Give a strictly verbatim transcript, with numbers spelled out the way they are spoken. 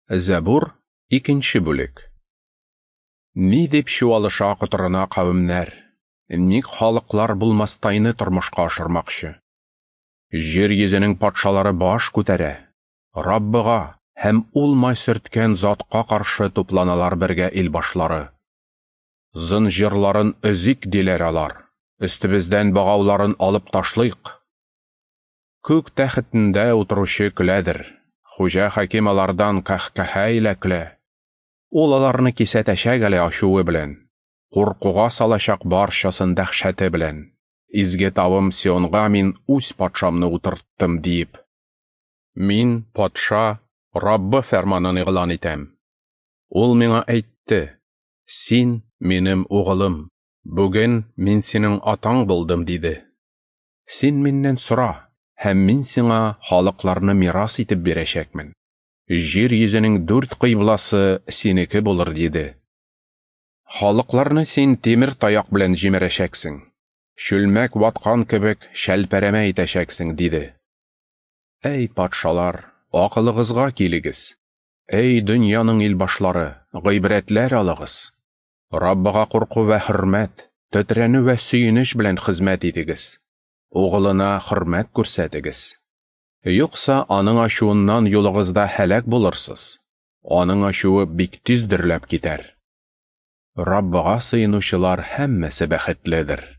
Зәбур, икенче бүлек. Ни дип чуалыша котырына кавемнәр, ник халыклар булмастайны тормышка ашырмакчы? Җир йөзенең патшалары баш күтәрә, Раббыга һәм ул май сөрткән затка каршы тупланалар бергә илбашлары. Зынҗырларын өзик диләр алар, өстебездән богауларын алып ташлыйк. Күк тәхетендә утыручы көләдер, хуҗа хаким алардан каһкаһә илә көлә. Ул аларны кисәтәчәк әле ачуы белән, куркуга салачак барчасын дәһшәте белән. Изге тавым Сионга мин үз патшамны утырттым диеп. Мин, патша, Раббы фәрманын игълан итәм. Ул миңа әйтте: "Син минем угылым, бүген мин синең атаң булдым", диде. Син миннән сора, һәм мин сиңа халыкларны мирас итеп бирәчәкмен. Җир йөзенең дүрт кыйбласы синеке булыр, диде. Халыкларны син тимер таяк белән җимерәчәксең, чүлмәк ваткан кебек шәлпәрәмә итәчәксең, диде. Әй патшалар, акылыгызга килегез. Әй дөньяның илбашлары, гыйбрәтләр алыгыз. Раббыга курку вә хөрмәт, тетрәнү вә сөенеч белән хезмәт итегез. Угылына хөрмәт күрсәтегез. Юкса аның ачуыннан юлыгызда һәлак булырсыз. Аның ачуы бик тиз дөрләп китәр. Раббыга сыенучылар һәммәсе бәхетледер.